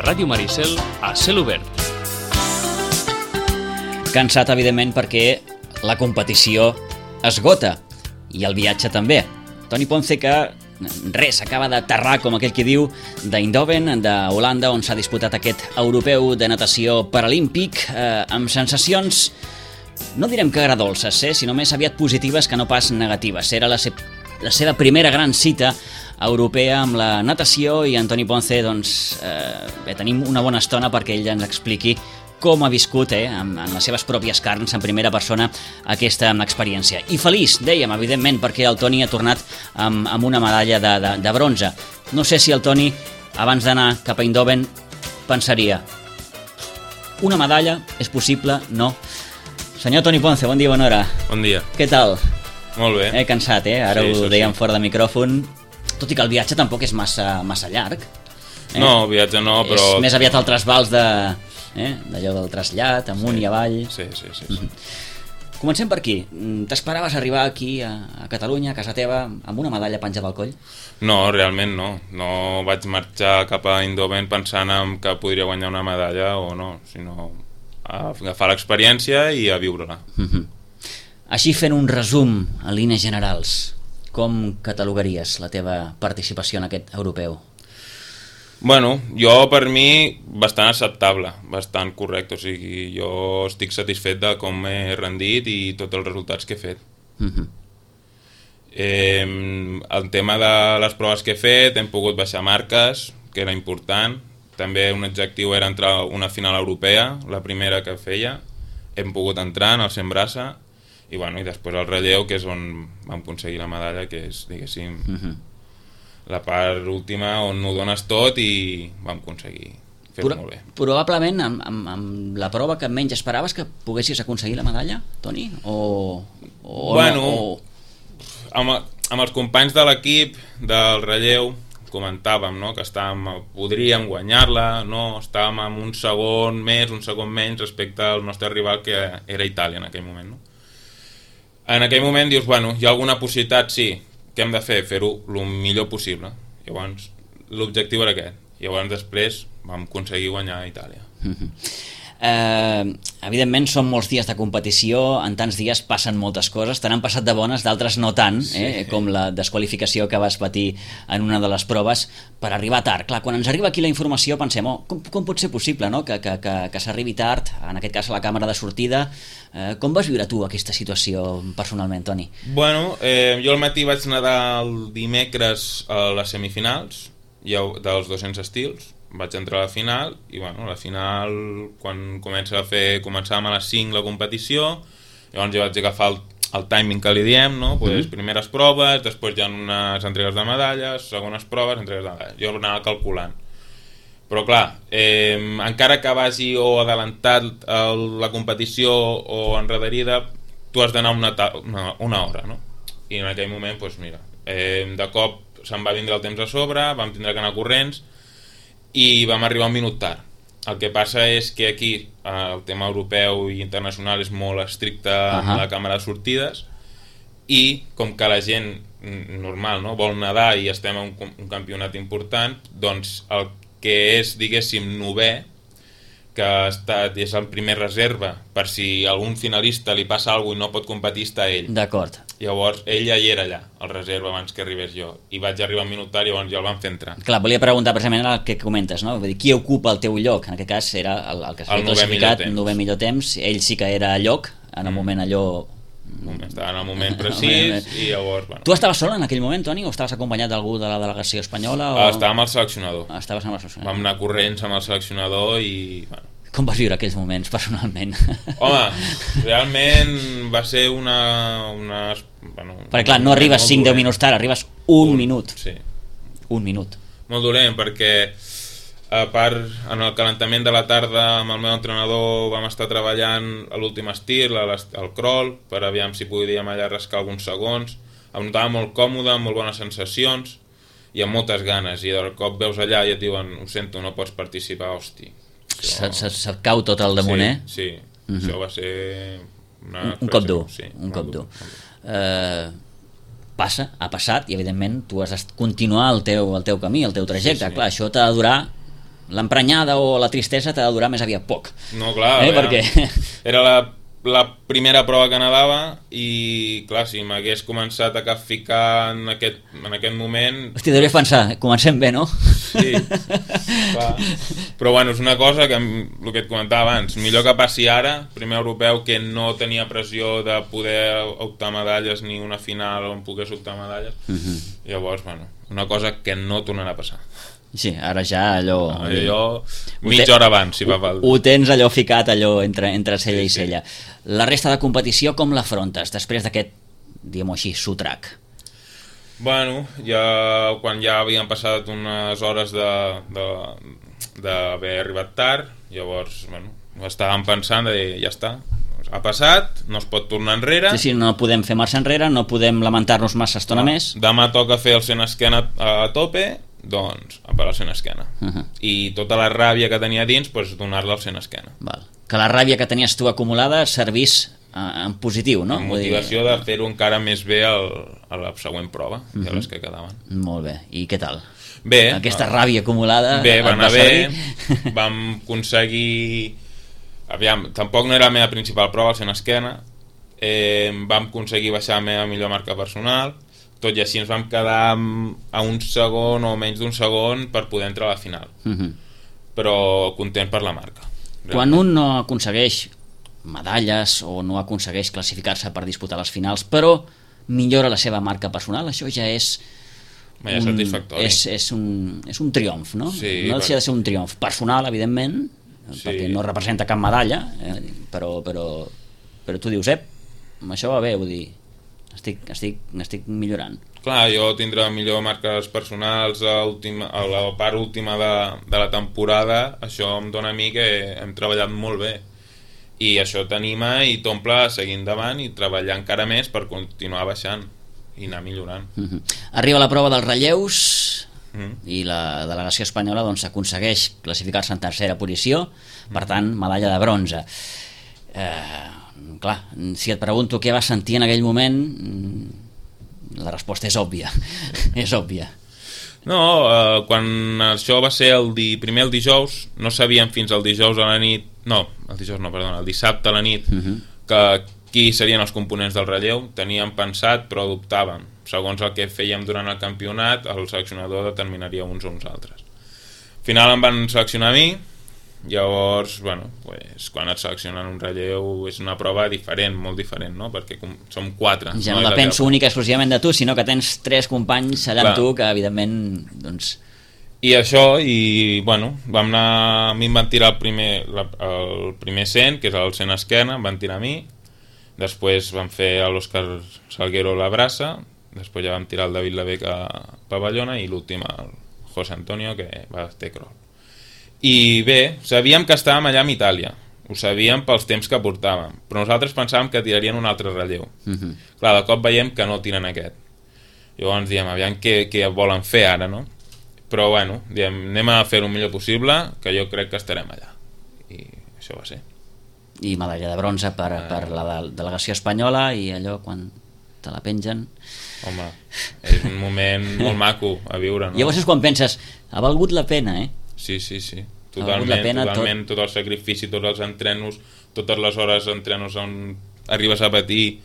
Ràdio Maricel a cel obert. Cansat, evidentment, perquè la competició esgota i el viatge també. Toni Ponce, que res, acaba d'aterrar, com aquell qui diu, d'Eindhoven, d'Holanda, on s'ha disputat aquest europeu de natació paralímpic, amb sensacions, no direm que agradolces, sinó més aviat positives que no pas negatives. Era la seva primera gran cita europea amb la natació i en Toni Ponce, doncs, tenim una bona estona perquè ell ens expliqui com ha viscut en les seves pròpies carns, en primera persona, aquesta experiència. I feliç, dèiem, evidentment, perquè el Toni ha tornat amb una medalla de bronze. No sé si el Toni, abans d'anar cap a Eindhoven, pensaria: una medalla és possible? No. Senyor Toni Ponce, bon dia, bona hora. Bon dia. Què tal? Molt bé. Cansat, Ara sí, ho dèiem fora de micròfon. Tot i que el viatge tampoc és massa llarg. No, el viatge no, però... És més aviat el trasbals d'allò del trasllat, amunt i avall. Sí. Comencem per aquí. T'esperaves arribar aquí a Catalunya, a casa teva, amb una medalla penjada al coll? No, realment no. No vaig marxar cap a Eindhoven pensant en que podria guanyar una medalla o no, sinó a agafar l'experiència i a viure-la. Així, fent un resum en línies generals, com catalogaries la teva participació en aquest europeu? Bueno, jo per mi bastant acceptable, bastant correcte, o sigui, jo estic satisfet de com m'he rendit i tots els resultats que he fet. El tema de les proves que he fet, hem pogut baixar marques, que era important. També un objectiu era entrar a una final europea, la primera que feia. Hem pogut entrar en el 100 braça i després el relleu, que és on vam aconseguir la medalla, que és, diguéssim, la part última on ho dones tot i vam aconseguir fer-ho molt bé. Probablement amb la prova que menys esperaves que poguessis aconseguir la medalla, Toni? Amb els companys de l'equip del relleu comentàvem, no?, que podríem guanyar-la, no? Estàvem amb un segon més, un segon menys respecte al nostre rival, que era Itàlia en aquell moment, no? En aquell moment dius, hi ha alguna possibilitat, sí. Què hem de fer? Fer-ho el millor possible. Llavors, l'objectiu era aquest. Llavors, després, vam aconseguir guanyar a Itàlia. Evidentment són molts dies de competició, en tants dies passen moltes coses, te n'han passat de bones, d'altres no tant, com la desqualificació que vas patir en una de les proves per arribar tard. Clar, quan ens arriba aquí la informació pensem, com pot ser possible, no?, que s'arribi tard, en aquest cas a la càmera de sortida. Com vas viure tu aquesta situació personalment, Toni? Jo al matí vaig nedar el dimecres a les semifinals dels 200 estils. Vaig entrar a la final i la final, quan començàvem a les 5 la competició, llavors jo vaig agafar el timing que li diem, no? Primeres proves, després hi ha unes entregues de medalles, segones proves, entregues de medalles. Jo anava calculant. Però clar, encara que vagi o adelantat la competició o enrederida, tu has d'anar una hora, no? I en aquell moment, de cop se'm va vindre el temps a sobre, vam tindre que anar corrents i vam arribar un minut tard. El que passa és que aquí el tema europeu i internacional és molt estricte amb la càmera de sortides i com que la gent normal, no, vol nedar i estem en un campionat important, doncs el que és, diguéssim, novè, que és el primer reserva, per si algun finalista li passa alguna cosa i no pot competir, està ell. D'acord. Llavors, ell ja hi era allà, el reserva, abans que arribés jo. I vaig arribar un minut tard i llavors ja el van fer entrar. Clar, volia preguntar precisament el que comentes, no? Vull dir, qui ocupa el teu lloc? En aquest cas era el que s'ha classificat, el novè millor temps. Ell sí que era a lloc, en el moment allò... Estava en el moment precís i llavors... Tu estaves sol en aquell moment, Toni, o estaves acompanyat d'algú de la delegació espanyola? Estava amb el seleccionador. Estaves amb el seleccionador. Vam anar corrents amb el seleccionador i... Com vas viure aquells moments, personalment? Home, realment va ser una... Perquè clar, no arribes 5-10 minuts tard, arribes un minut. Sí. Un minut. Molt dolent, perquè a part, en el calentament de la tarda amb el meu entrenador vam estar treballant a l'últim estil, al crawl, per aviam si podíem allà rascar alguns segons. Em notava molt còmode, amb molt bones sensacions i amb moltes ganes, i de cop veus allà i et diuen, ho sento, no pots participar, hosti. Se't cau tot al damunt, Sí, això va ser un cop dur. Un cop dur. Ha passat, i evidentment tu has de continuar el teu camí, el teu trajecte. Clar, això t'ha de durar l'emprenyada o la tristesa t'ha de durar més aviat poc. No, clar, Perquè... era la primera prova que nedava i, clar, si m'hagués començat a capficar en aquest moment... Hòstia, devia pensar, comencem bé, no? Sí, clar. Però bueno, és una cosa que, el que et comentava abans, millor que passi ara, primer europeu, que no tenia pressió de poder optar medalles ni una final on pogués optar medalles. Llavors, bueno, una cosa que no tornarà a passar. Sí, ara ja allò... mitja hora abans, si fa falta. Ho tens allò ficat, allò entre cella i cella. La resta de competició com l'afrontes després d'aquest, diguem-ho així, sotrac? Bueno, quan ja havien passat unes hores d'haver arribat tard, llavors, bueno, estàvem pensant de dir, ja està, ha passat, no es pot tornar enrere. Sí, no podem fer marxa enrere, no podem lamentar-nos massa estona més. Demà toca fer el sent esquena a tope, doncs a parar el sent esquena. I tota la ràbia que tenia dins, doncs donar-la al sent esquena. Val. Que la ràbia que tenies tu acumulada servís en positiu, no? Amb motivació de fer-ho encara més bé a la següent prova, que les que quedaven. Molt bé, i què tal? Bé. Aquesta ràbia acumulada... Bé, va anar bé, vam aconseguir... Aviam, tampoc no era la meva principal prova, el sent esquena, vam aconseguir baixar la meva millor marca personal, tot i així ens vam quedar a un segon o menys d'un segon per poder entrar a la final. Però content per la marca. Quan un no aconsegueix medalles o no aconsegueix classificar-se per disputar les finals, però millora la seva marca personal, això ja és satisfactori. És un triomf, no? Sí, no deixa de ser un triomf personal, evidentment, perquè no representa cap medalla, però tu dius, amb això va bé, vull dir, estic millorant. Clar, jo tindré millor marques personals a la part última de la temporada, això em dona a mi que hem treballat molt bé i això t'anima i t'omple a seguir endavant i treballar encara més per continuar baixant i anar millorant. Arriba la prova dels relleus i la delegació espanyola doncs aconsegueix classificar-se en tercera posició, per tant medalla de bronze. Clar, si et pregunto què vas sentir en aquell moment, la resposta és òbvia. És òbvia. No, quan això va ser primer el dijous, no sabíem fins al dijous a la nit, el dissabte a la nit, que qui serien els components del relleu. Teníem pensat, però dubtàvem. Segons el que fèiem durant el campionat, el seleccionador determinaria uns o uns altres. Al final em van seleccionar a mi. Llavors, bueno, quan et seleccionen un relleu és una prova diferent, molt diferent, no? Perquè som 4. Ja no depèn única exclusivament de tu, sinó que tens 3 companys allà amb tu que evidentment doncs... I això, i bueno, a mi em van tirar el primer 100, que és el 100 esquena, em van tirar a mi, després van fer a l'Òscar Salguero la braça, després ja vam tirar el David Lavec a pavellona i l'últim el José Antonio, que va fer crawl. I bé, sabíem que estàvem allà amb Itàlia, ho sabíem pels temps que portàvem, però nosaltres pensàvem que tirarien un altre relleu. Clar, de cop veiem que no tiren aquest. Llavors diem, aviam què volen fer ara, no? Però bueno, diem, anem a fer el millor possible, que jo crec que estarem allà. I això va ser. I medalla de bronze per la delegació espanyola, i allò quan te la pengen... Home, és un moment molt maco a viure, no? Llavors és quan penses, ha valgut la pena, Sí, totalment, tot el sacrifici, tots els entrenos, totes les hores d'entrenos on arribes a patir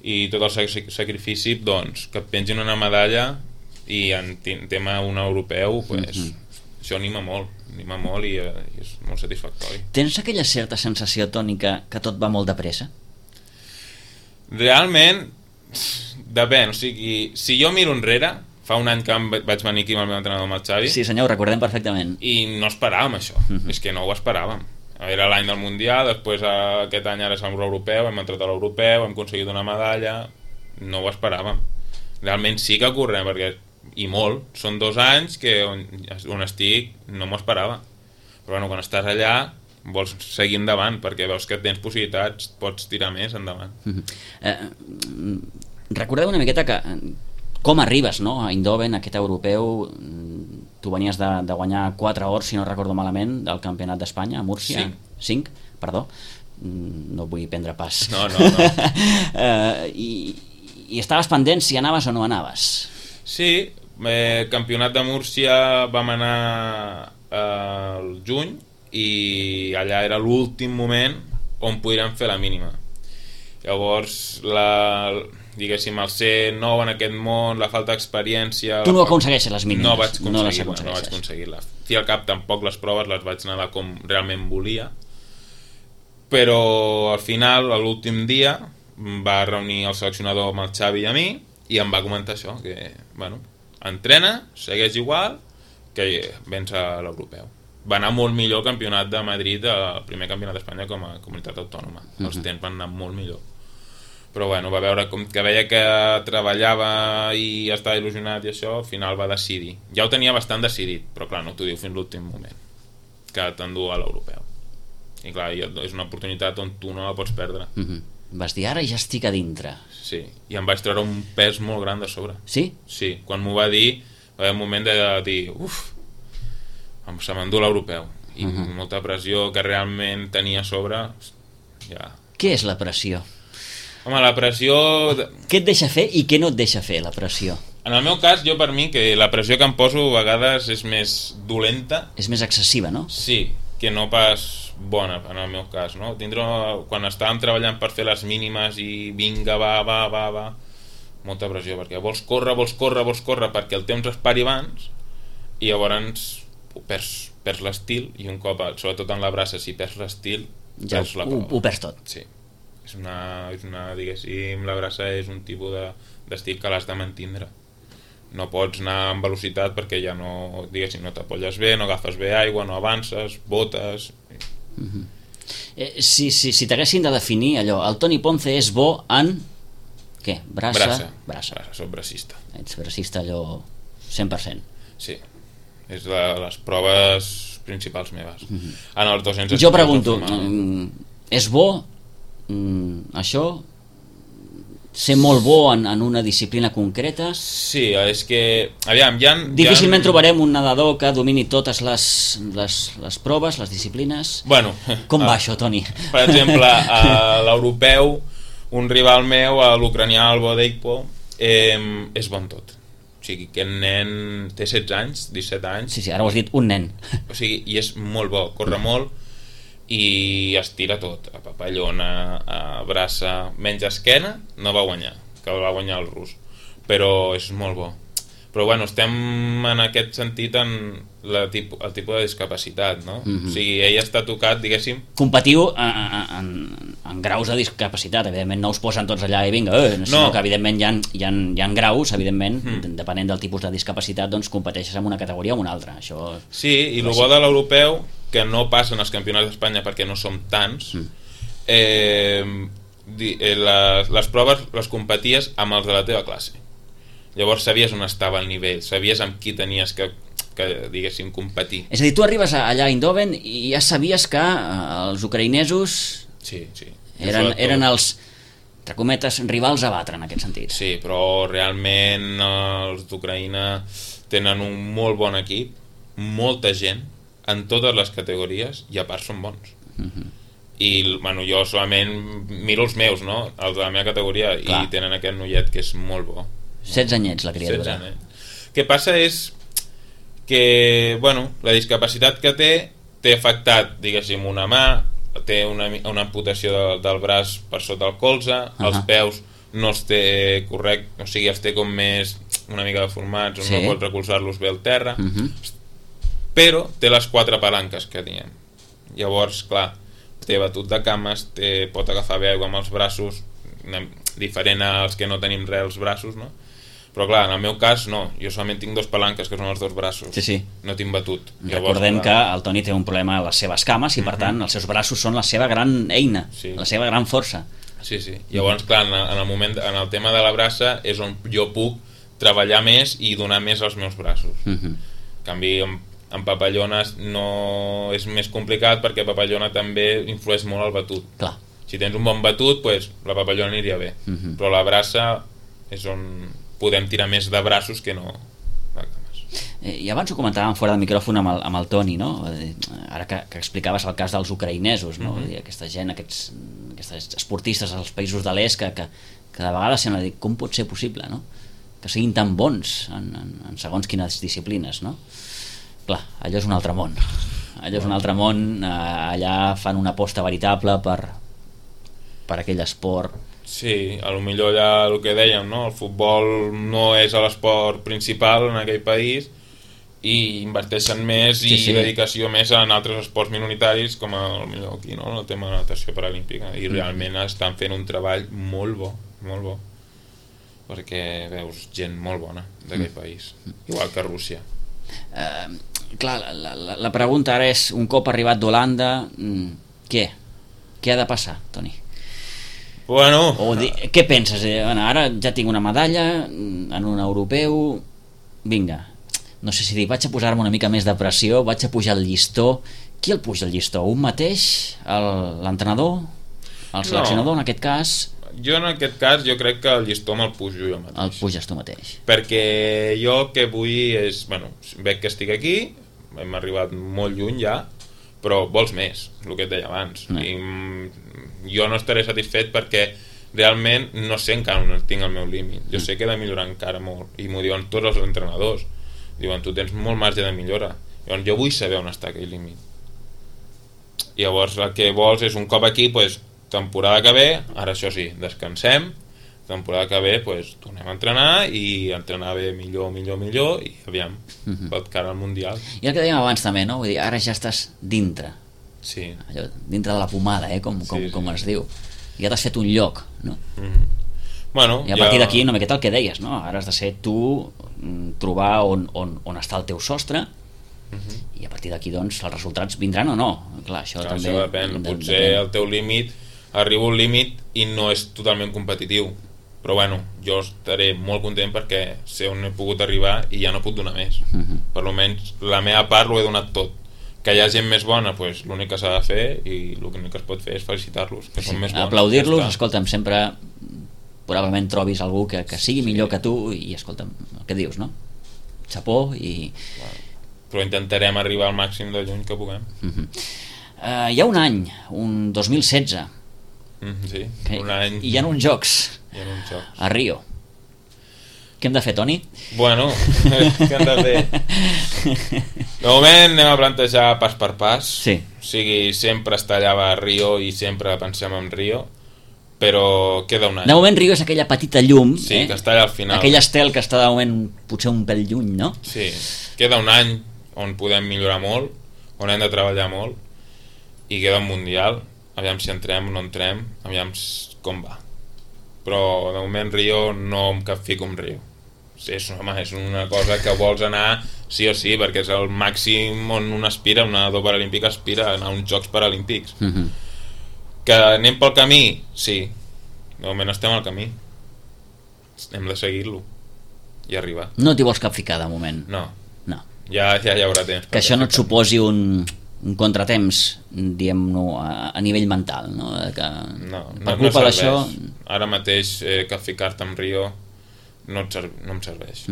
i tot el sacrifici, doncs, que et pengin una medalla i en tema un europeu, això anima molt i és molt satisfactori. Tens aquella certa sensació, Toni, que tot va molt de pressa? Realment, depèn, o sigui, si jo miro enrere, fa un any que vaig venir aquí amb el meu entrenador, amb el Xavi. Sí, senyor, ho recordem perfectament. I no esperàvem això, és que no ho esperàvem. Era l'any del Mundial, després aquest any ara és l'europeu, hem entrat a l'europeu, hem aconseguit una medalla, no ho esperàvem. Realment sí que correm, i molt, són 2 anys que on estic no m'ho esperava. Però bueno, quan estàs allà vols seguir endavant, perquè veus que tens possibilitats, pots tirar més endavant. Recordeu una miqueta que com arribes, no? A Eindhoven, aquest europeu, tu venies de guanyar 4 ors, si no recordo malament, del Campionat d'Espanya a Múrcia. 5, perdó. No vull prendre pas. No. I estaves pendent si anaves o no anaves. Sí, Campionat de Múrcia vam anar al juny, i allà era l'últim moment on podríem fer la mínima. Llavors, diguéssim, el ser nou en aquest món, la falta d'experiència... Tu no aconsegueixes les mínimes. No vaig aconseguir-la. I al cap tampoc les proves les vaig nedar com realment volia, però al final, a l'últim dia, va reunir el seleccionador amb el Xavi i a mi i em va comentar això, que, bueno, entrena, segueix igual, que vens a l'europeu. Va anar molt millor el campionat de Madrid, el primer campionat d'Espanya com a comunitat autònoma. Els temps van anar molt millor. Però bueno, va veure que veia que treballava i estava il·lusionat i això, al final va decidir. Ja ho tenia bastant decidit, però clar, no t'ho diu fins l'últim moment, que t'endú a l'europeu. I clar, és una oportunitat on tu no la pots perdre. Vas dir, ara ja estic a dintre. Sí, i em vaig treure un pes molt gran de sobre. Sí? Sí, quan m'ho va dir, va haver un moment de dir, se m'endú l'europeu. I molta pressió que realment tenia a sobre, ja... Què és la pressió? Home, la pressió... Què et deixa fer i què no et deixa fer, la pressió? En el meu cas, jo per mi, que la pressió que em poso a vegades és més dolenta. És més excessiva, no? Sí, que no pas bona, en el meu cas, no? Quan estàvem treballant per fer les mínimes i vinga, va, molta pressió, perquè vols córrer perquè el temps es pari abans i llavors perds l'estil, i un cop, sobretot en la braça, si perds l'estil, ja perds la prova. Ho perds tot. Sí. És una, diguéssim, la braça és un tipus d'estil que l'has de mantindre. No pots anar amb velocitat perquè ja no, diguéssim, no t'apolles bé, no agafes bé aigua, no avances, botes... Si t'haguessin de definir allò, el Toni Ponce és bo en... Què? Braça. Soc bracista. Ets bracista allò 100%. Sí, és de les proves principals meves. En els 200 jo pregunto, és bo això, ser molt bo en una disciplina concreta? Sí, és que aviam, difícilment trobarem un nedador que domini totes les proves, les disciplines. Bueno, com va això, Toni? Per exemple, a l'europeu, un rival meu, l'ucranià Albo Deikpo, és bon tot. O sigui, aquest nen té 16 anys, 17 anys. Sí, ara ho has dit, un nen. O sigui, i és molt bo, corre molt i es tira tot, a papallona, a braça, menys esquena, no va guanyar, que el va guanyar el rus, però és molt bo. Però bueno, estem en aquest sentit en el tipus de discapacitat, no? O sigui, ell està tocat, diguéssim... Competiu en graus de discapacitat, evidentment no us posen tots allà i vinga, sinó que evidentment hi ha graus, evidentment, depenent del tipus de discapacitat, doncs competeixes en una categoria o una altra. Això... Sí, i el bo de l'europeu, que no passen als campionats d'Espanya perquè no som tants, les proves les competies amb els de la teva classe. Llavors sabies on estava el nivell, sabies amb qui tenies que diguéssim, competir. És a dir, tu arribes allà a Eindhoven i ja sabies que els ucraïnesos eren els, entre cometes, rivals a batre en aquest sentit. Sí, però realment els d'Ucraïna tenen un molt bon equip, molta gent, en totes les categories, i a part són bons. I bueno, jo solament miro els meus, no? Els de la meva categoria. Clar. I tenen aquest noiet que és molt bo. 16 anyets la criatura. 16 anyets. El que passa és que, bueno, la discapacitat que té afectat, diguéssim, una mà, té una amputació del braç per sota el colze, els peus no els té correcte, o sigui, els té com més una mica deformats, no pot recolzar-los bé al terra, però té les 4 palanques que diem. Llavors, clar, té batut de cames, pot agafar bé aigua amb els braços, diferent als que no tenim res als braços, no? Però clar, en el meu cas no, jo solament tinc 2 palanques que són els 2 braços, no tinc batut. Recordem que el Toni té un problema a les seves cames i per tant els seus braços són la seva gran eina, la seva gran força. Sí, llavors clar, en el tema de la braça és on jo puc treballar més i donar més als meus braços. En canvi, en papallones no és més complicat perquè papallona també influeix molt al batut. Clar. Si tens un bon batut, doncs la papallona aniria bé, però la braça és on podem tirar més de braços que no de cames. I abans ho comentàvem fora del micròfon amb el Toni, no? Ara que explicaves el cas dels ucraïnesos, no? Aquesta gent, aquests esportistes als països de l'est que de vegades sembla dir com pot ser possible, no? Que siguin tan bons en segons quines disciplines, no? Clar, allò és un altre món. Allò és un altre món, allà fan una aposta veritable per aquell esport. Sí, a lo millor ja el que dèiem, no? El futbol no és l'esport principal en aquell país i inverteixen més i dedicació més en altres esports minoritaris com el millor aquí, no? El tema de natació paralímpica, i realment estan fent un treball molt bo, perquè veus gent molt bona d'aquell país, igual que Rússia. Clar, la pregunta ara és, un cop arribat d'Holanda, què ha de passar, Toni? Bueno, què penses? Ara ja tinc una medalla en un europeu, vinga, no sé si dic, vaig a posar-me una mica més de pressió, vaig a pujar el llistó. Qui el puja el llistó? Un mateix? L'entrenador? El seleccionador, en aquest cas? Jo en aquest cas jo crec que el llistó me'l pujo jo mateix. El puges tu mateix. Perquè jo el que vull és, veig que estic aquí, hem arribat molt lluny ja, però vols més, el que et deia abans. I jo no estaré satisfet perquè realment no sé encara on tinc el meu límit. Jo sé que he de millorar encara molt, i m'ho diuen tots els entrenadors. Diuen, tu tens molt marge de millora. Llavors, jo vull saber on està aquell límit. Llavors el que vols és un cop aquí, temporada que ve, ara això sí, descansem, temporada que ve tornem a entrenar i entrenar bé millor i aviam, pot cara al Mundial. I el que dèiem abans també, no? Vull dir, ara ja estàs dintre, allò, dintre de la pomada, com es diu, ja t'has fet un lloc, no? I a partir d'aquí una miqueta el que deies, no? Ara has de ser tu, trobar on està el teu sostre, i a partir d'aquí doncs els resultats vindran o no. Clar, això també depèn. Potser el teu límit arriba un límit i no és totalment competitiu, però bueno, jo estaré molt content perquè sé on he pogut arribar i ja no puc donar més. Per almenys la meva part ho he donat tot. Que hi ha gent més bona, l'únic que s'ha de fer i l'únic que es pot fer és felicitar-los, que són més bons. Aplaudir-los, escolta'm, sempre probablement trobis algú que sigui millor que tu i escolta'm, el que dius, no? Xapó i... Però intentarem arribar al màxim de lluny que puguem. Hi ha un any, un 2016, sí, un any... I hi ha uns jocs a Rio. Què hem de fer, Toni? Bueno, què hem de fer? De moment anem a plantejar pas per pas. Sí. O sigui, sempre estar allà a Rio i sempre pensem en Rio, però queda un any. De moment Rio és aquella petita llum, que està allà al final. Aquell estel que està de moment potser un pèl lluny, no? Sí, queda un any on podem millorar molt, on hem de treballar molt, i queda un Mundial, aviam si entrem o no entrem, aviam com va. Però de moment Rio no em capfico amb Rio. És una cosa que vols anar sí o sí, perquè és el màxim on un aspira, un nedador paralímpic aspira a anar a uns Jocs Paralímpics. Que anem pel camí? Sí, de moment estem al camí, hem de seguir-lo i arribar. No t'hi vols capficar de moment? No. Ja hi haurà temps. Que això no et suposi un contratemps, diguem-ne, a nivell mental, no? No serveix. Ara mateix capficar-te amb Rio no em serveix.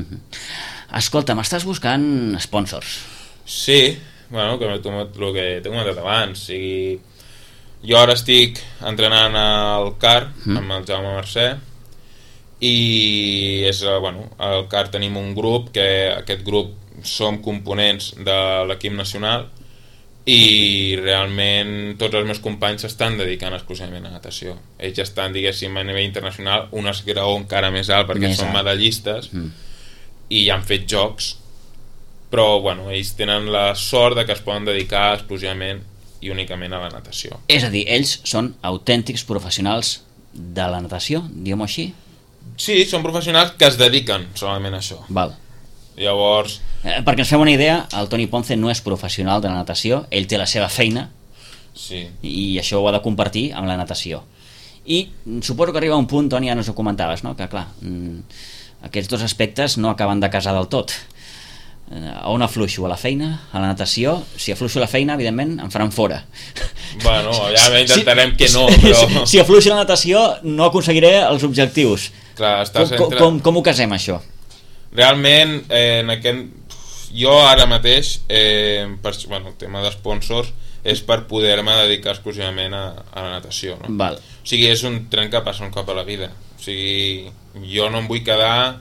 Escolta, m'estàs buscant sponsors? Sí, el que t'he comentat abans. O sigui, jo ara estic entrenant al CAR amb el Jaume Mercè i al CAR tenim un grup que aquest grup som components de l'equip nacional i realment tots els meus companys s'estan dedicant exclusivament a natació. Ells estan, diguéssim, a nivell internacional un esgraó encara més alt perquè són medallistes i han fet jocs, però ells tenen la sort de que es poden dedicar exclusivament i únicament a la natació. És a dir, ells són autèntics professionals de la natació, diguem-ho així? Sí, són professionals que es dediquen solament a això. Val. Llavors... perquè ens fem una idea, el Toni Ponce no és professional de la natació, ell té la seva feina i això ho ha de compartir amb la natació. I suposo que arriba un punt, Toni, ja ens ho comentaves, no? Que clar, aquests dos aspectes no acaben de casar del tot. On afluixo? A la feina? A la natació? Si afluixo a la feina, evidentment em faran fora. Ja intentarem que no, però... Si afluixo a la natació no aconseguiré els objectius. Clar, com ho casem, això? Realment, jo ara mateix, el tema d'esponsors és per poder-me dedicar exclusivament a la natació, no? Val. O sigui, és un tren que passa un cop a la vida. O sigui, jo no em vull quedar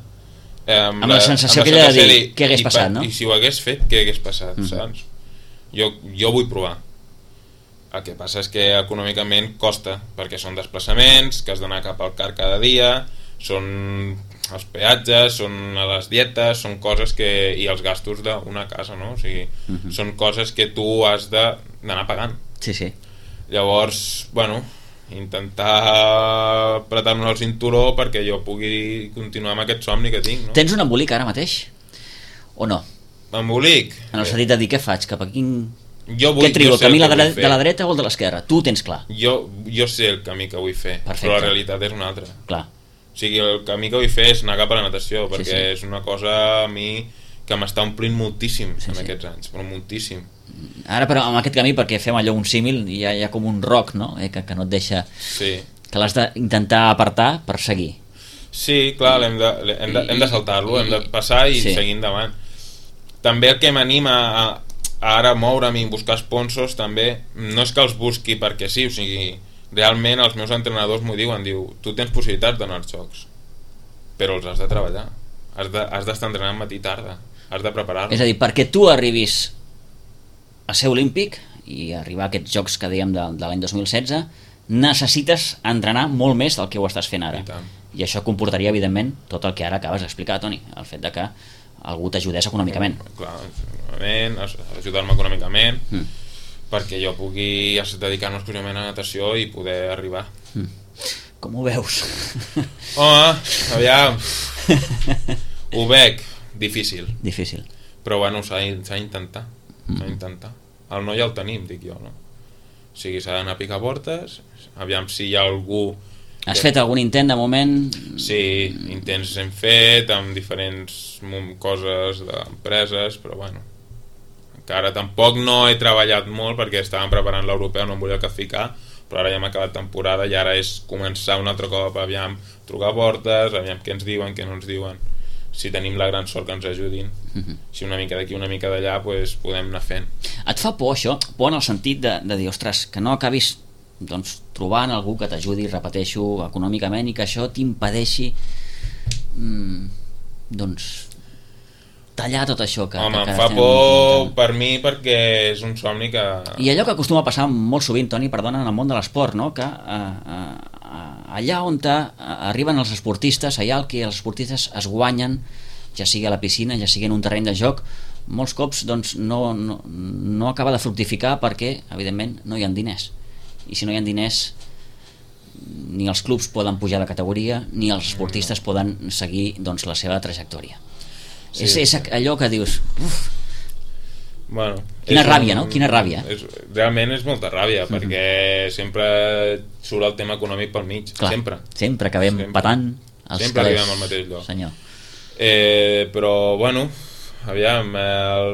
amb la sensació aquella de dir què hagués passat, no? I si ho hagués fet, què hagués passat, saps? Jo vull provar. El que passa és que econòmicament costa, perquè són desplaçaments, que has d'anar cap al car cada dia, són els peatges, són les dietes, són coses que... i els gastos d'una casa, no? O sigui, són coses que tu has d'anar pagant. Sí, sí. Llavors, bueno, intentar apretar-nos el cinturó perquè jo pugui continuar amb aquest somni que tinc, no? Tens un embolic ara mateix? O no? Embolic? En el sentit de dir, què faig? Cap a quin... Què trio, el camí de la dreta o el de l'esquerra? Tu ho tens clar. Jo sé el camí que vull fer. Perfecte. Però la realitat és una altra. Clar. O sigui, el camí que vull fer és anar cap a la natació, perquè és una cosa a mi que m'està omplint moltíssim en aquests anys, però moltíssim. Ara, però, amb aquest camí, perquè fem allò un símil, hi ha com un roc, no? Que no et deixa... Sí. Que l'has d'intentar apartar per seguir. Sí, clar, hem de saltar-lo, hem de passar i seguir endavant. També el que m'anima a ara moure'm i buscar sponsors també, no és que els busqui perquè sí, o sigui, realment els meus entrenadors m'ho diuen, tu tens possibilitats d'anar als jocs, però els has de treballar, has d'estar entrenant matí i tarda, has de preparar-los. És a dir, perquè tu arribis a ser olímpic i arribar a aquests jocs que dèiem de l'any 2016, necessites entrenar molt més del que ho estàs fent ara. I això comportaria, evidentment, tot el que ara acabes d'explicar, Toni, el fet de que algú t'ajudés econòmicament. Clar, ajudar-me econòmicament perquè jo pugui dedicar-me exclusivament a natació i poder arribar. Com ho veus? Home, aviam, ho veig difícil, però bueno, s'ha d'intentar. El noi el tenim, dic jo, no? O sigui, s'ha d'anar a picar portes, aviam si hi ha algú... Has fet algun intent de moment? Sí, intents hem fet amb diferents coses d'empreses, però bueno, encara tampoc no he treballat molt perquè estàvem preparant l'europeu, no em volia ficar, però ara ja hem acabat temporada i ara és començar un altre cop, aviam, trucar a portes, aviam què ens diuen, què no ens diuen, si tenim la gran sort que ens ajudin, si una mica d'aquí, una mica d'allà, pues, podem anar fent. Et fa por això? Por en el sentit de dir, ostres, que no acabis trobant algú que t'ajudi, repeteixo, econòmicament, i que això t'impedeixi tallar tot això que... Home, em fa por per mi perquè és un somni que... I allò que acostuma a passar molt sovint, Toni, perdona, en el món de l'esport, no? Que allà on arriben els esportistes, allà el que els esportistes es guanyen, ja sigui a la piscina, ja sigui en un terreny de joc, molts cops no acaba de fructificar perquè, evidentment, no hi ha diners. I si no hi ha diners, ni els clubs poden pujar de categoria, ni els esportistes poden seguir la seva trajectòria. Sí, és allò que dius... Bueno, quina ràbia, no? Quina ràbia. Realment és molta ràbia, perquè sempre surt el tema econòmic pel mig. Clar, sempre acabem patant els sempre arribem al mateix lloc. Senyor. Però, bueno, aviam,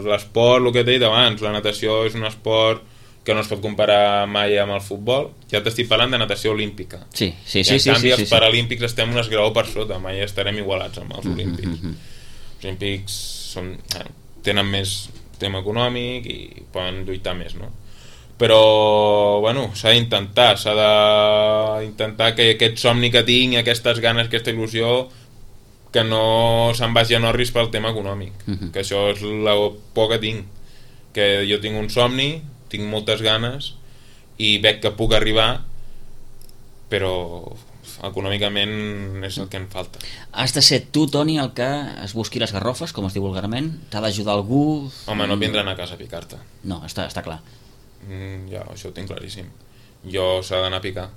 l'esport, el que t'he dit abans, la natació és un esport que no es pot comparar mai amb el futbol. Ja t'estic parlant de natació olímpica. Sí. I en canvi els paralímpics estem un esgraó per sota, mai estarem igualats amb els olímpics. Els olímpics tenen més tema econòmic i poden lluitar més, no? Però, bueno, s'ha d'intentar que aquest somni que tinc, aquestes ganes, aquesta il·lusió, que no se'n vagi a Norris pel tema econòmic, que això és la por que tinc, que jo tinc un somni, tinc moltes ganes i veig que puc arribar, però econòmicament és el que em falta. Has de ser tu, Toni, el que es busqui les garrofes, com es diu vulgarment? T'ha d'ajudar algú? Home, no vindran a casa a picar-te. No, està clar. Ja, això ho tinc claríssim. Jo s'ha d'anar a picar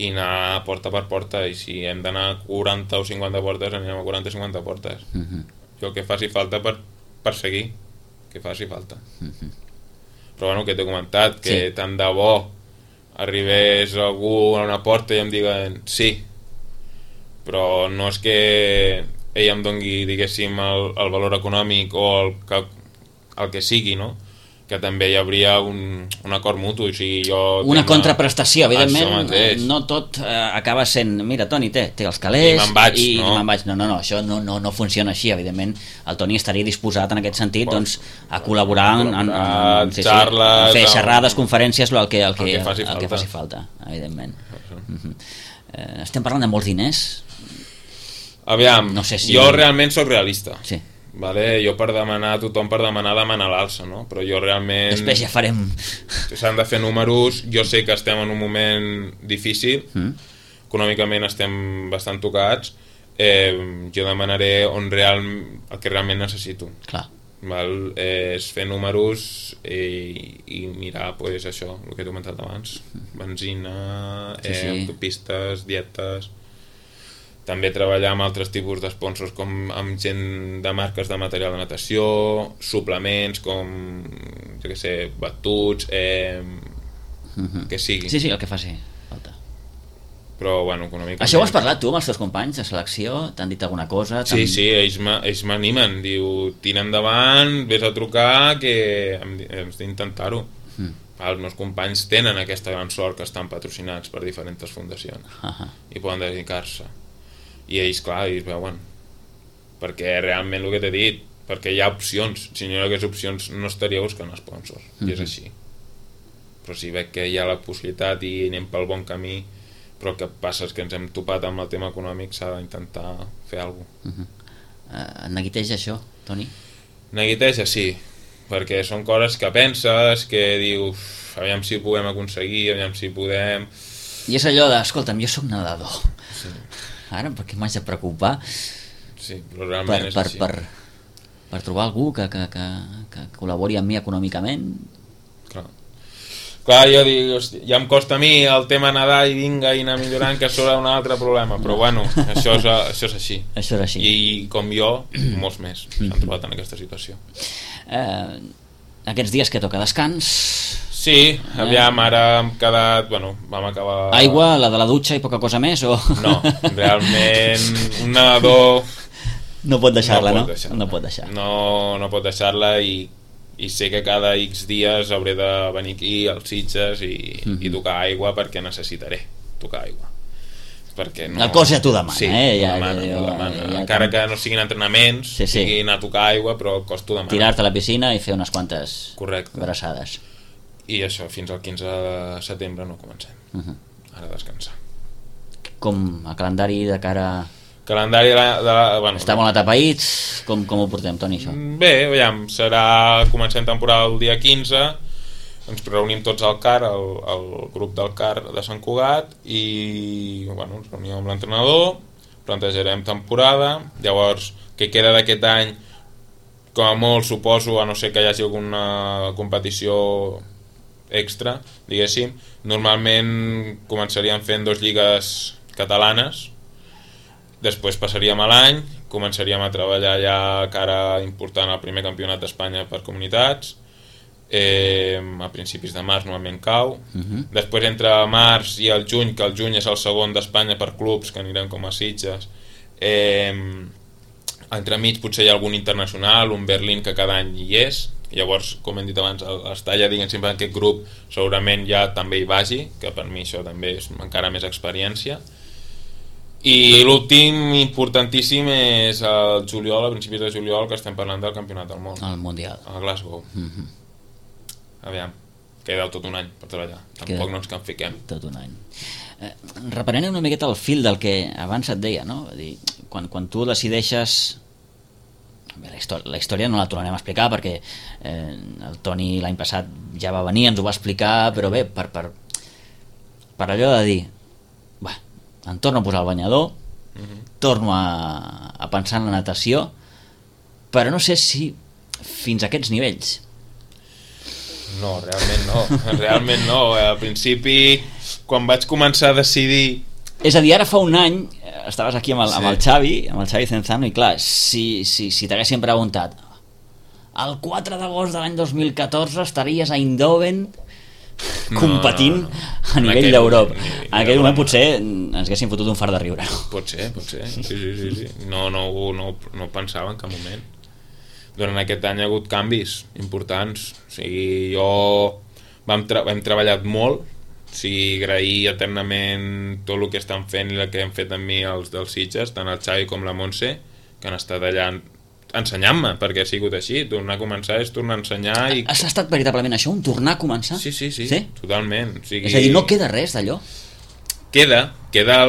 i anar porta per porta, i si hem d'anar a 40 o 50 portes, anirem a 40 o 50 portes. Jo el que faci falta per seguir, que faci falta. Però bueno, que t'he comentat, que tant de bo arribés algú a una porta i em diguen sí, però no és que ell em dongui, diguéssim, el valor econòmic o el que sigui, no? Que també hi hauria un acord mutu, o sigui, una contraprestació, evidentment. No tot acaba sent, mira, Toni, té els calés i me'n vaig, no, això no funciona així. Evidentment el Toni estaria disposat en aquest sentit a col·laborar en xarles, fer xerrades, conferències, el que faci falta, evidentment. Estem parlant de molts diners? Aviam, no sé si... jo realment sóc realista. Sí. Vale? Jo per demanar a tothom, per demanar l'alça, no? Però jo realment... Després ja farem... S'han de fer números, jo sé que estem en un moment difícil, econòmicament estem bastant tocats, jo demanaré el que realment necessito. Clar. Val? És fer números i mirar pues, això, el que he comentat abans, benzina, autopistes, dietes... També treballar amb altres tipus d'esponsors com amb gent de marques de material de natació, suplements com, jo què sé, batuts, que sigui. Sí, el que faci falta. Però, bueno, econòmicament... Això ho has parlat tu amb els teus companys de selecció? T'han dit alguna cosa? Sí, ells m'animen. Diu, tira endavant, vés a trucar, que hem d'intentar-ho. Els meus companys tenen aquesta gran sort que estan patrocinats per diferents fundacions i poden dedicar-se. I ells, clar, ells veuen, perquè realment el que t'he dit, perquè hi ha opcions, si no hi hagués opcions no estaria buscant sponsors, i és així. Però si veig que hi ha la possibilitat i anem pel bon camí, però el que passa és que ens hem topat amb el tema econòmic, s'ha d'intentar fer alguna cosa. Neguiteja això, Toni? Neguiteja, sí, perquè són coses que penses, que dius, aviam si ho podem aconseguir, aviam si podem... I és allò de, escolta'm, jo sóc nedador. Sí. Ara, per què m'haig de preocupar? Sí, però realment és així. Per trobar algú que col·labori amb mi econòmicament? Clar, jo dic, hosti, ja em costa a mi el tema nedar i vinga i anar millorant, que serà un altre problema, però bueno, això és així. Això és així. I com jo, molts més s'han trobat en aquesta situació. Aquests dies que toca descans... Sí, aviam, ara hem quedat... Bueno, vam acabar... Aigua, la de la dutxa i poca cosa més, o...? No, realment, un nedador... No pot deixar-la, no? No pot deixar-la. No pot deixar-la i sé que cada X dies hauré de venir aquí als Sitges i tocar aigua perquè necessitaré tocar aigua. Perquè no... El cos ja t'ho demana, sí, Ja, encara que no siguin entrenaments, siguin a tocar aigua, però el cos t'ho demana. Tirar-te a la piscina i fer unes quantes braçades. I això, fins al 15 de setembre no comencem. Ara descansar. Com el calendari de cara... Calendari bueno, està molt atapeït? Com ho portem, Toni, això? Bé, veiem, comencem temporada el dia 15, ens reunim tots al CAR, el grup del CAR de Sant Cugat, i bueno, ens reunim amb l'entrenador, plantejarem temporada, llavors, què queda d'aquest any, com a molt suposo, a no ser que hi hagi alguna competició extra, diguéssim, normalment començaríem fent 2 lligues catalanes, després passaríem a l'any, començaríem a treballar ja cara important al primer campionat d'Espanya per comunitats, a principis de març normalment cau, després entre març i el juny, que el juny és el segon d'Espanya per clubs, que anirem com a Sitges, entremig potser hi ha algun internacional, un Berlín que cada any hi és. Llavors, com hem dit abans, l'Estalla, diguem sempre, en aquest grup segurament ja també hi vagi, que per mi això també és encara més experiència. I l'últim importantíssim és el juliol, a principis de juliol, que estem parlant del Campionat del Món. El Mundial. A Glasgow. Aviam, queda tot un any per treballar. Tampoc no ens en fiquem. Tot un any. Reprenem una miqueta el fil del que abans et deia, no? Dir, quan tu decideixes... La història no la tornarem a explicar perquè el Toni l'any passat ja va venir, ens ho va explicar, però bé, per allò de dir em torno a posar el banyador, torno a pensar en la natació, però no sé si fins a aquests nivells. No, realment no. Al principi, quan vaig començar a decidir... És a dir, ara fa un any estaves aquí amb el Xavi Cenzano, i clar, si t'haguessin preguntat el 4 d'agost de l'any 2014 estaries a Eindhoven competint a nivell d'Europa. En aquell moment potser ens haguessin fotut un fart de riure. Pot ser. Sí. No pensava en cap moment. Durant aquest any ha hagut canvis importants. O sigui, hem treballat molt. O sigui, agrair eternament tot el que estan fent i el que hem fet amb mi els dels Sitges, tant el Xavi com la Montse, que han estat allà ensenyant-me, perquè ha sigut així. Tornar a començar és tornar a ensenyar. Has estat veritablement això, un tornar a començar? Sí, totalment. O sigui... És a dir, no queda res d'allò? queda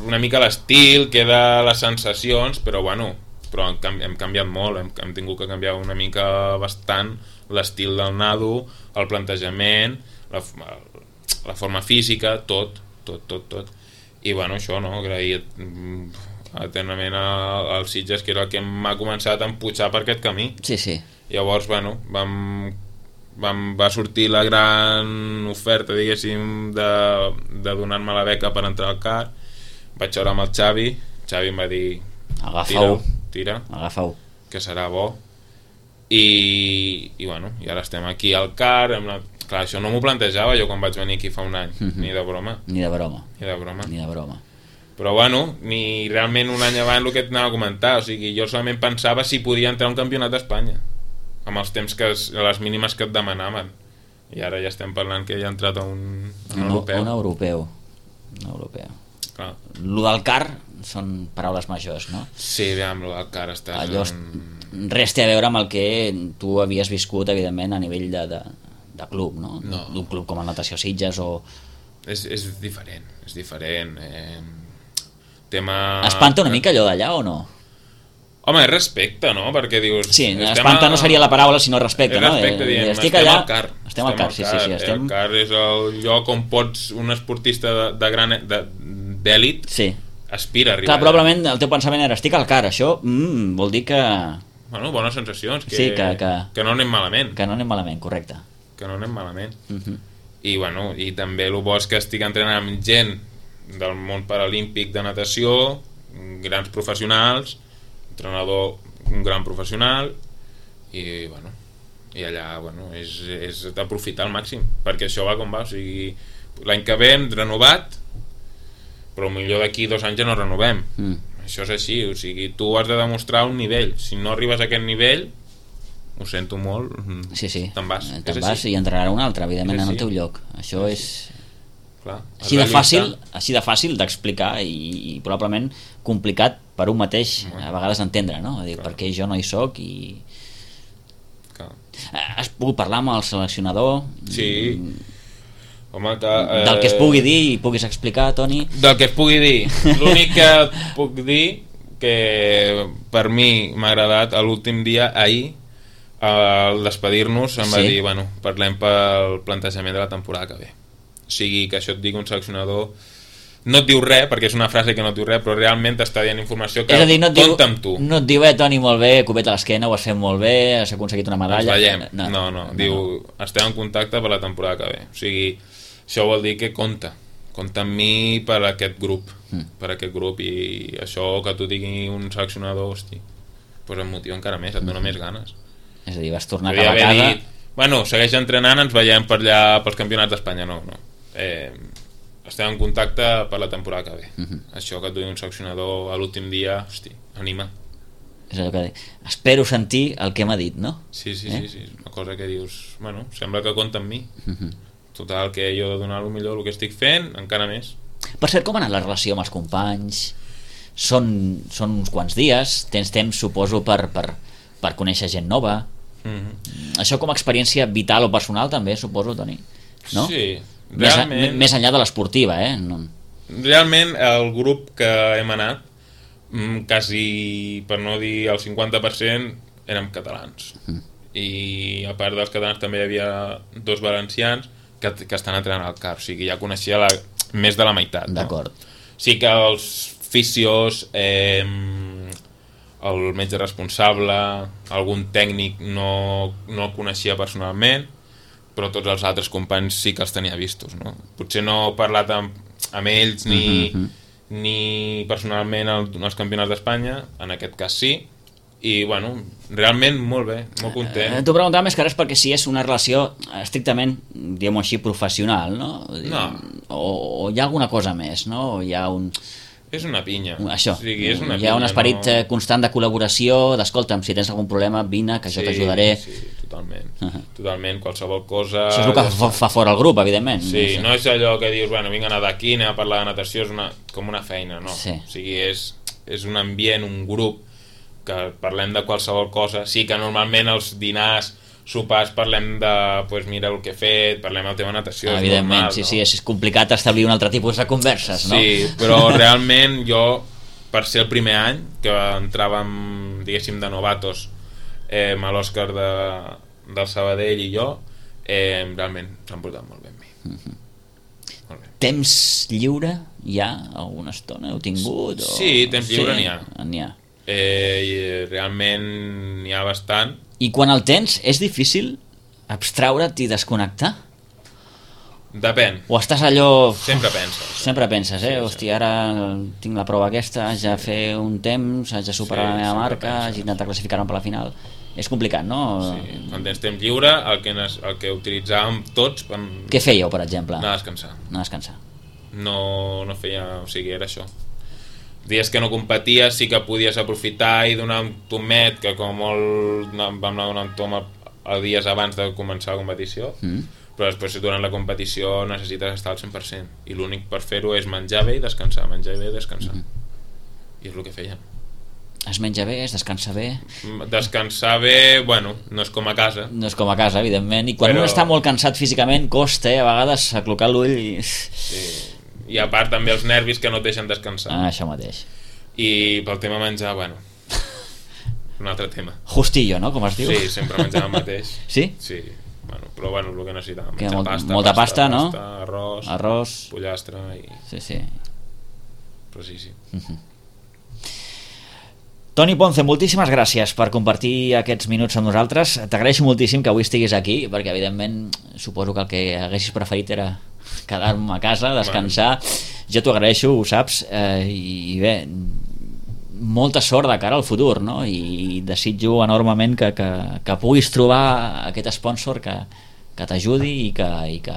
una mica l'estil, queda les sensacions, però bueno, hem canviat molt, hem tingut que canviar una mica bastant l'estil del nado, el plantejament, la forma física, tot. I bueno, això, no? Agrair eternament als Sitges, que era el que m'ha començat a empujar per aquest camí. Sí. Llavors, bueno, va sortir la gran oferta, diguéssim, de donar-me la beca per entrar al CAR. Vaig veure amb el Xavi em va dir tira, agafa-ho, que serà bo. I bueno, i ara estem aquí al CAR. Clar, això no m'ho plantejava jo quan vaig venir aquí fa un any, ni de broma. Però bueno, ni realment un any abans el que et anava a comentar, o sigui, jo solament pensava si podia entrar a un campionat d'Espanya amb els temps les mínimes que et demanaven, i ara ja estem parlant que ja ha entrat a un europeu. Un europeu. Clar. Lo del CAR són paraules majors, no? Sí, amb lo del CAR estàs... Allò res té a veure amb el que tu havies viscut, evidentment, a nivell de club, no? D'un club com el Natació Sitges o... És diferent. Tema... Espanta una mica allò d'allà o no? Home, és respecte, no? Perquè dius... Sí, espanta no seria la paraula, sinó respecte, no? Respecte, dient, estem allà, al CAR. Estem al CAR, sí. El CAR és el lloc on pots, un esportista d'èlit, aspira a arribar. Clar, probablement el teu pensament era, estic al CAR, això vol dir que... Bueno, bones sensacions, que no anem malament. Que no anem malament, correcte. Que no anem malament. I bueno, i també el bo és que estic entrenant amb gent del món paralímpic de natació, grans professionals, entrenador, un gran professional, i bueno, i allà, bueno, és d'aprofitar al màxim, perquè això va com va, o sigui, l'any que ve hem renovat, però millor d'aquí 2 anys ja no renovem. Això és així, o sigui, tu has de demostrar un nivell. Si no arribes a aquest nivell, ho sento molt, te'n vas. Te'n vas i entrarà un altre, evidentment, en el teu lloc. Això és... Clar, així de fàcil d'explicar i probablement complicat per un mateix a vegades entendre, no? A dir, perquè jo no hi soc i... Has pogut parlar amb el seleccionador? Sí. Home, del que es pugui dir i puguis explicar, Toni? Del que es pugui dir. L'únic que puc dir que per mi m'ha agradat l'últim dia, ahir, al despedir-nos em va dir, bueno, parlem pel plantejament de la temporada que ve. O sigui, que això et digui un seleccionador, no et diu res, perquè és una frase que no et diu res, però realment t'està dient informació que compta amb tu. No et diu, Toni, molt bé, copet a l'esquena, ho has fet molt bé, has aconseguit una medalla. Ens veiem. No. Diu, estem en contacte per la temporada que ve. O sigui, això vol dir que compta amb mi per aquest grup, i això que t'ho digui un seleccionador, hosti, doncs em motiva encara més, et dona més ganes. És a dir, vas tornar cap a casa... Bueno, segueix entrenant, ens veiem per allà pels campionats d'Espanya, no. Estem en contacte per la temporada que ve. Això que et digui un seleccionador a l'últim dia, hosti, anima. És allò que dic, espero sentir el que m'ha dit, no? Sí, una cosa que dius, bueno, sembla que compta amb mi. Total, que jo he de donar el millor el que estic fent, encara més. Per cert, com ha anat la relació amb els companys? Són uns quants dies, tens temps, suposo, per conèixer gent nova. Això com a experiència vital o personal també, suposo, Toni, no? Sí, realment... Més enllà de l'esportiva, no. Realment el grup que hem anat, quasi, per no dir el 50%, érem catalans. I a part dels catalans també hi havia 2 valencians que estan entrenant al CAR, o sigui, ja coneixia més de la meitat, no? D'acord. Sí que els fisios, el metge responsable, algun tècnic no el coneixia personalment, però tots els altres companys sí que els tenia vistos, no? Potser no he parlat amb ells ni personalment als campionats d'Espanya, en aquest cas sí, i bueno, realment molt bé, molt content. T'ho preguntava més que res perquè si és una relació estrictament, diguem-ho així, professional, no? O hi ha alguna cosa més, no? O hi ha un... És una pinya. Això, o sigui, és una hi ha un esperit constant de col·laboració, d'escolta'm, si tens algun problema, vine, que jo t'ajudaré. Sí, totalment, qualsevol cosa... Això és el que fa fora el grup, evidentment. Sí, no és allò que dius, bueno, vinc a anar d'aquí, anem a parlar de natació, és com una feina, no. Sí. O sigui, és un ambient, un grup, que parlem de qualsevol cosa. Sí que normalment els dinars sopars parlem de, pues mira el que he fet, parlem del tema natació, evidentment, normal, sí, no? sí, és complicat establir un altre tipus de converses, no? Sí, però realment jo, per ser el primer any que entràvem, diguéssim, de novatos a l'Òscar del Sabadell i jo, realment s'han portat molt bé amb mi. Molt bé. Temps lliure hi ha alguna estona? Heu tingut? Sí, temps lliure n'hi ha. N'hi ha. I realment n'hi ha bastant. I quan el tens, és difícil abstraure't i desconnectar? Depèn. O estàs allò... Sempre penses. Sempre penses, Sí, hòstia, ara tinc la prova aquesta, haig de fer un temps, haig de superar Sí, la meva sempre marca, penses. haig d'intentar classificar-me per la final. És complicat, no? Sí. Quan tens temps lliure, el que utilitzàvem tots Què fèieu, per exemple? anar a descansar. Anar a descansar. No feia... O sigui, era això. Dies que no competies sí que podies aprofitar i donar un tomet, que com molt vam anar donant tom a dies abans de començar la competició, però després durant la competició necessites estar al 100% i l'únic per fer-ho és menjar bé i descansar, menjar bé i descansar. I és el que fèiem. Es menja bé, es descansa bé. Descansar bé, bueno, no és com a casa. No és com a casa, evidentment. I quan un està molt cansat físicament, costa, a vegades, aclocar l'ull i... Sí. I a part també els nervis que no et deixen descansar. Això mateix. I pel tema menjar, bueno, un altre tema. Justillo, no?, com es diu. Sí, sempre menjàvem el mateix. Sí? Sí, bueno, però bueno, el que necessitàvem. Que Menjar pasta, molta pasta, no? Arròs, pollastre i... Sí. Però sí. Toni Ponce, moltíssimes gràcies per compartir aquests minuts amb nosaltres. T'agraeixo moltíssim que avui estiguis aquí, perquè evidentment suposo que el que haguessis preferit era quedar-me a casa, descansar. Jo t'ho agraeixo, ho saps, i bé, molta sort de cara al futur, no? I desitjo enormement que puguis trobar aquest sponsor que t'ajudi i que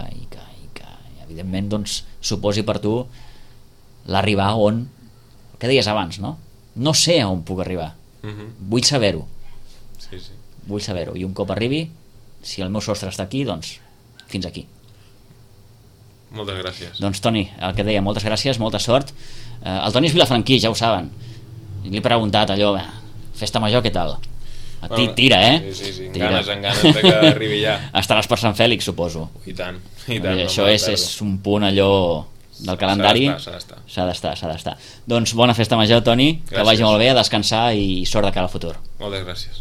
evidentment doncs, suposi per tu l'arribar on, el que deies abans, no? No sé on puc arribar, vull saber-ho. Sí. Vull saber-ho, i un cop arribi, si el meu sostre està aquí, doncs fins aquí. Moltes gràcies. Doncs Toni, el que deia, moltes gràcies, molta sort. El Toni és vilafranquí, ja ho saben. Li he preguntat allò, festa major, què tal? Tira, Sí, tira. en ganes de que arribi ja. Estaràs per Sant Fèlix, suposo. I tant. Això és un punt allò del calendari. S'ha d'estar. Doncs bona festa major, Toni, que Gràcies. vagi molt bé, a descansar i sort de cara al futur. Moltes gràcies.